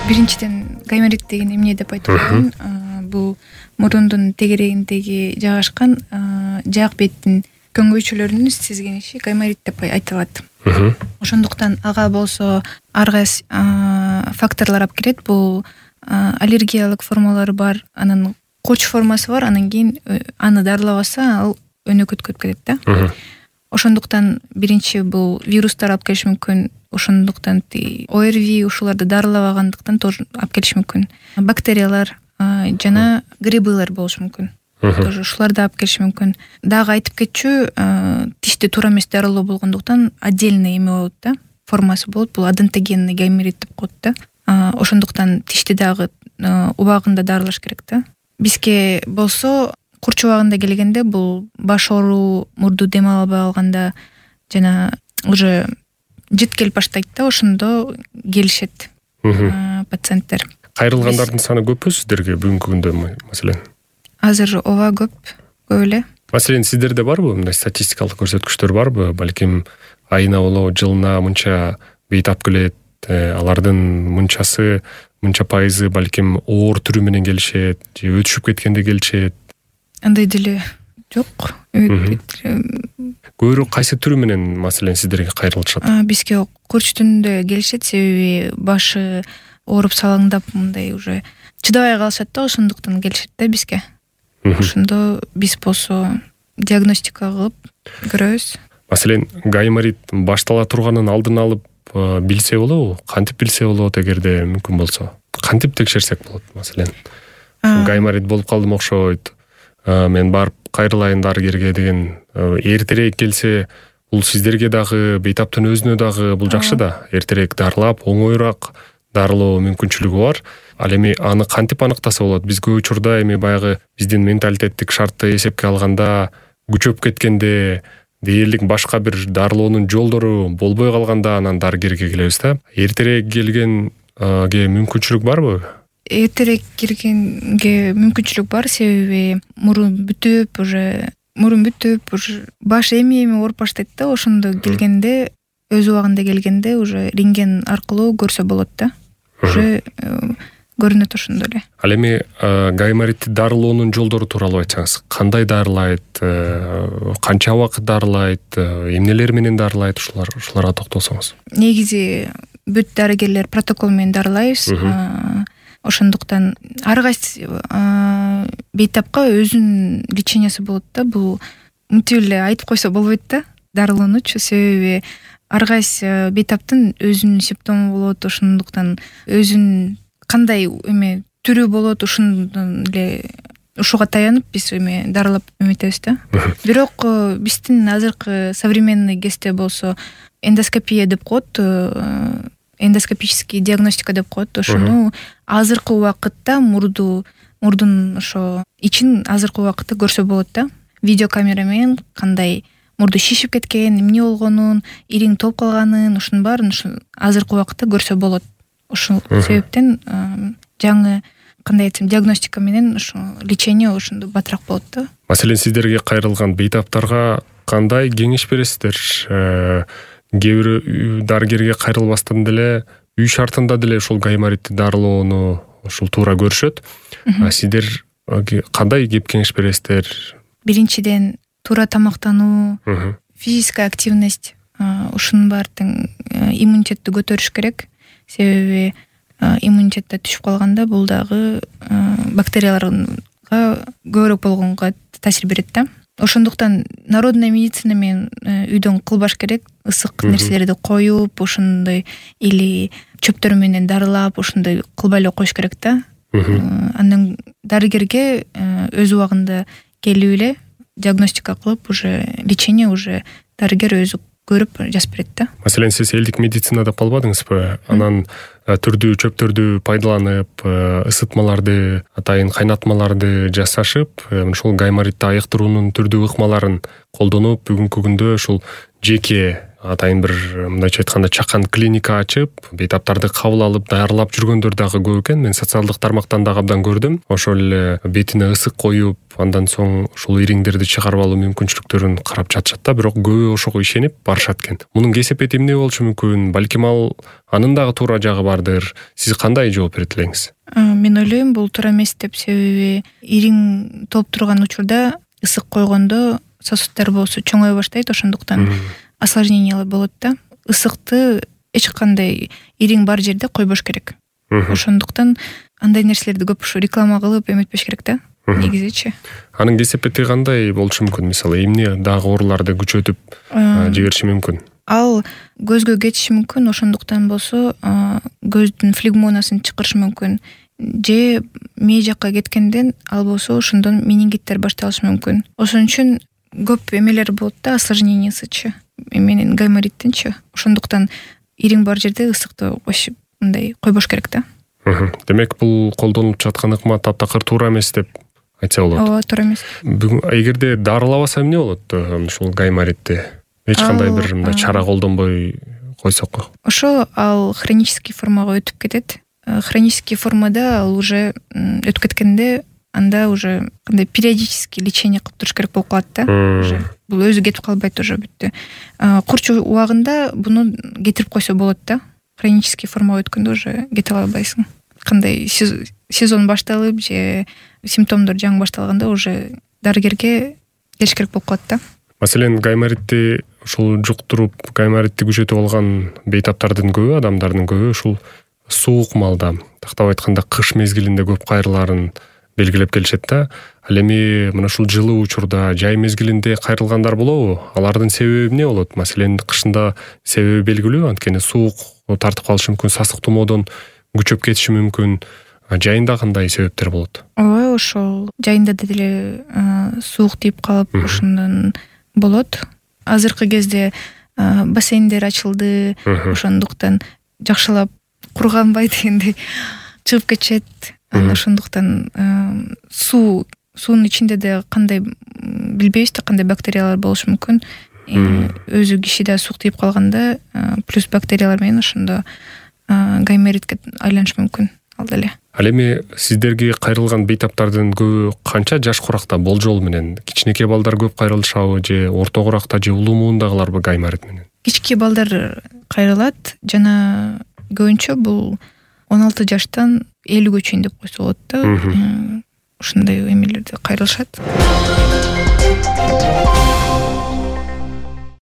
Биринчиден гайморит деген эмне деп айтып коеюн. Бул мурундун тегерегиндеги жайгашкан жаак беттин көңгөйчөлөрүнүн сезгениши гайморит деп айтылат. Ошондуктан ага болсо ар кайсы факторлор алып келет. Бул аллергиялык формалары бар, анан корч формасы бар, анан кийин аны дарылабаса ал өнөкөткөп кетет да. Ошондуктан биринчи бул вирустар алып келиши мүмкүн. Ошондуктан ОРВИ ушуларды дарылабагандыктан тоже алып келиши мүмкүн. Бактериялар жана грибылар болушу мүмкүн. Тоже ушуларды алып келиши мүмкүн. Дагы айтып кетчү, тишти туура эмес дарылоо болгондуктан отдельный эме болот да, формасы болот. Бул адентогенный гайморит деп коет да. Ошондуктан тишти дагы убагында дарылаш керек да. Бизге болсо курч убагында келгенде бул баш ооруу, мурду дем албай калганда жана уже жыт келип баштайт да, ошондо келишет пациенттер. Кайрылгандардын саны көппү сиздерге бүгүнкү күндө маселен? Азыр ооба көп эле. Маселен сиздерде барбы мындай статистикалык көрсөткүчтөр барбы? Балким айына болобу, жылына мынча бейт алып келет, алардын мынчасы, мынча пайызы балким оор түрү менен келишет, же өтүшүп кеткенде келишет. Андай деле жок. Көбүрөөк кайсы түрү менен маселен сиздерге кайрылышат? Бизге курч түрүндө келишет, себеби башы ооруп салаңдап мындай уже чыдабай калышат да, ошондуктан келишет да бизге. Ошондо биз болсо диагностика кылып көрөбүз. Маселен, гайморит баштала турганын алдын алып билсе болобу? Кантип билсе болот эгерде мүмкүн болсо? Кантип текшерсек болот маселен? Гайморит болуп калдым окшойт. Мен барып кайрылайын дарыгерге деген эртерээк келсе, бул сиздерге дагы, бейтаптын өзүнө дагы бул жакшы да. Эртерээк дарылап, оңоюраак дарылоо мүмкүнчүлүгү бар. Ал эми аны кантип аныктаса болот? Биз көп учурда эми баягы биздин менталитеттик шартты эсепке алганда, күчөп кеткенде, дээрлик башка бир дарылоонун жолдору болбой калганда анан дарыгерге келебиз да. Эртерээк келгенге мүмкүнчүлүк барбы? Эртерээк келгенге мүмкүнчүлүк бар, себеби мурун бүтүп, уже баш эми ооруп баштайт да. Ошондо келгенде, өз убагында келгенде уже рентген аркылуу көрсө болот да. Уже көрүнөт ошондо эле. Ал эми гайморитти дарылоонун жолдору тууралуу айтсаңыз, кандай дарылайт, канча убакыт дарылайт, эмнелер менен дарылайт, ушуларга токтолсоңуз. Негизи бүт дарыгерлер протокол менен дарылайбыз. Ошондуктан ар кайсы бейтапка өзүнүн лечениясы болот да. Бул мынтип эле айтып койсо болбойт да, дарылоонучу, себеби ар кайсы бейтаптын өзүнүн симптому болот. Ошондуктан өзүнүн кандай эме түрү болот, ошондон эле ушуга таянып биз эме дарылап эметебиз да. Бирок биздин азыркы современный кезде болсо эндоскопия деп коет, эндоскопический диагностика деп коет. Ошону азыркы убакытта мурдун ошо ичин азыркы убакытта көрсө болот да. Видеокамера менен кандай мурду шишип кеткен, эмне болгонун, ириң толуп калганын, ушунун баарын азыркы убакытта көрсө болот. Ошол себептен жаңы кандай айтсам диагностика менен ошо лечение ошондо батыраак болот да. Маселен, сиздерге кайрылган бейтаптарга кандай кеңеш бересиздер? Кээ бирөө дарыгерге кайрылбастан деле үй шартында деле ушул гайморитти дарылоону ушул туура көрүшөт. Сиздер кандай кеп кеңеш бересиздер? Биринчиден туура тамактануу, физическая активность, ушунун баардыгын иммунитетти көтөрүш керек. Себеби иммунитетте түшүп калганда бул дагы бактерияларга көбүрөөк болгонго таасир берет да. Ошондуктан народная медицина менен үйдөн кылбаш керек. Ысык нерселерди коюп, ошондой или чөптөр менен дарылап, ошондой кылбай эле коюш керек да. Андан дарыгерге өз убагында келип эле диагностика кылып, уже лечение уже дарыгер өзү көрүп жазып берет да. Маселен, сиз элдик медицинада калбадыңызбы? Анан түрдүү чөптөрдү пайдаланып, ысытмаларды, атайын кайнатмаларды жасашып, ушул гайморитти айыктыруунун түрдүү ыкмаларын колдонуп, бүгүнкү күндө ушул жеке атайын бир мындайча айтканда чакан клиника ачып, бейтаптарды кабыл алып, даярлап жүргөндөр дагы көп экен. Мен социалдык тармактан дагы абдан көрдүм. Ошол эле бетине ысык коюп, андан соң ушул ириңдерди чыгарып алуу мүмкүнчүлүктөрүн карап жатышат да, бирок көбү ошого ишенип барышат экен. Мунун кесепети эмне болушу мүмкүн? Балким анын дагы туура жагы бардыр. Сиз кандай жооп берет элеңиз? Мен ойлойм, бул туура эмес деп, себеби ириң толуп турган учурда ысык койгондо сосуддар болсо чоңое баштайт, ошондуктан осложнениялар болот да. Ысыкты эч кандай ириң бар жерде койбош керек. Ошондуктан андай нерселерди көп ушу реклама кылып эметпеш керек да. Негизичи. Анын кесепети кандай болушу мүмкүн? Мисалы, эмне дагы ооруларды күчөтүп жибериши мүмкүн? Ал көзгө кетиши мүмкүн, ошондуктан болсо көздүн флегмонасын чакырышы мүмкүн. Же мээ жакка кеткенден ал болсо ошондон менингиттер башталышы мүмкүн. Ошон үчүн көп эмелер болот да, осложнениясычы. Менин гаймориттинчи. Ошондуктан ириң бар жерде ысыкты мындай койбош керек да. Демек, бул колдонулуп жаткан ыкма таптакыр туура эмес деп айтса болот. Ооба, туура эмес. Эгерде дарылабаса эмне болот ушул гайморитти? Эч кандай бир мындай чара колдонбой койсок. Ошо ал хронический формага өтүп кетет. Хронический формада ал уже өтүп кеткенде анда уже кандай периодический лечение кылып туруш керек болуп калат да. Уже бул өзү кетип калбайт, уже бүттү. Курч убагында буну кетирип койсо болот да. Хронический формага өткөндө уже кете албайсың. Кандай сезон башталып же симптомдор жаңы башталганда уже дарыгерге келиш керек болуп калат да. Маселен, гайморитти ушул жуктуруп, гайморитти күчөтүп алган бейтаптардын көбү, адамдардын көбү ушул суук маалда, тактап айтканда кыш мезгилинде көп кайрылаарын белгилеп келишет да. Ал эми мына ушул жылуу учурда, жай мезгилинде кайрылгандар болобу? Алардын себеби эмне болот? Маселен, кышында себеби белгилүү, анткени суук тартып калышы мүмкүн, сасык тумоодон күчөп кетиши мүмкүн. Жайында кандай себептер болот? Ооба, ошол жайында деле суук тийип калып, ошондон болот. Азыркы кезде бассейндер ачылды, ошондуктан жакшылап курганбай дегендей чыгып кетишет. Ошондуктан суунун ичинде да кандай билбейбиз да, кандай бактериялар болушу мүмкүн. Өзү кишиде суук тийип калганда плюс бактериялар менен ошондо гайморитке айланышы мүмкүн ал деле. Ал эми сиздерге кайрылган бейтаптардын көбү канча жаш куракта болжол менен? Кичинекей балдар көп кайрылышабы же орто куракта же улуу муундагыларбы гайморит менен? Кичинекей балдар кайрылат жана көбүнчө бул 16 жаштан 50-гө чейин деп койсо болот да. Ушундай эмелерде кайрылышат.